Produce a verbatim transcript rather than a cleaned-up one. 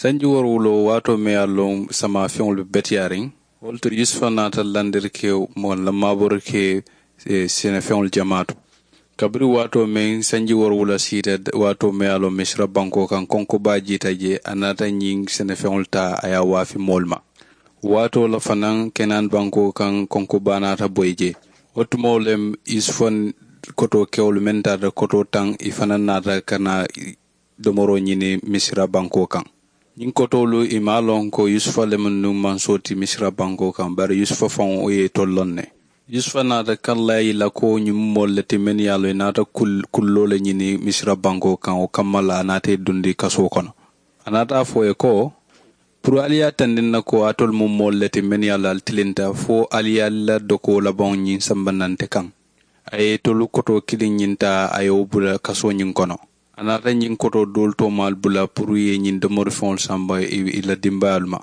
Sanji woorowuloo waatoo meŋ ye a loŋ samaafeŋolu be beteyaariŋ, wo le to yusufa naata landiri ke moŋ la maaboori ke senefeŋolu jamaa to. Kabiriŋ waatoo meŋ sanji woorowula siita, waatoo meŋ ye a loŋ misira bankoo kaŋ konko baa jiita jee, a naata ñiŋ senefeŋolu taa a ye a waafi moolu ma. Waatoo la fanaŋ kenaani bankoo kaŋ konko baa naata boyi jee. Wo tumoo le yusufa kotoo kewolu meŋ taata kotoo taŋ i fanaŋ naata ka naa domoroo ñini misira bankoo kaŋ. Ñiŋ kotoolu i maŋ a loŋ ko yusufa le mu nuŋ mansoo ti misira bankoo kaŋ bari yusufa faŋo wo ye itolu loŋ ne. Yusufa naata kallaa i la ko ñiŋ mu moolu le ti mennu ye a loŋ i naata kulloo le ñini misira bankoo kaŋ wo kamma la a naata i dundi kasoo kono. A naata a fo i ye ko puru ali ye a tandiŋ na ko alitolu mu moolu le ti mennu ye a loŋ ali tilinta fo ali ye ali la dokoo labaŋo ñiŋ samba naŋ nte kaŋ. A ye itolu kotoo kiliŋ ñiŋ taa a ye wo bula kasoo ñiŋ kono. A naata ñiŋ kotoo doolu toomaalu bula puru i ye ñiŋ domori feŋolu samba i la dimbayaalu ma.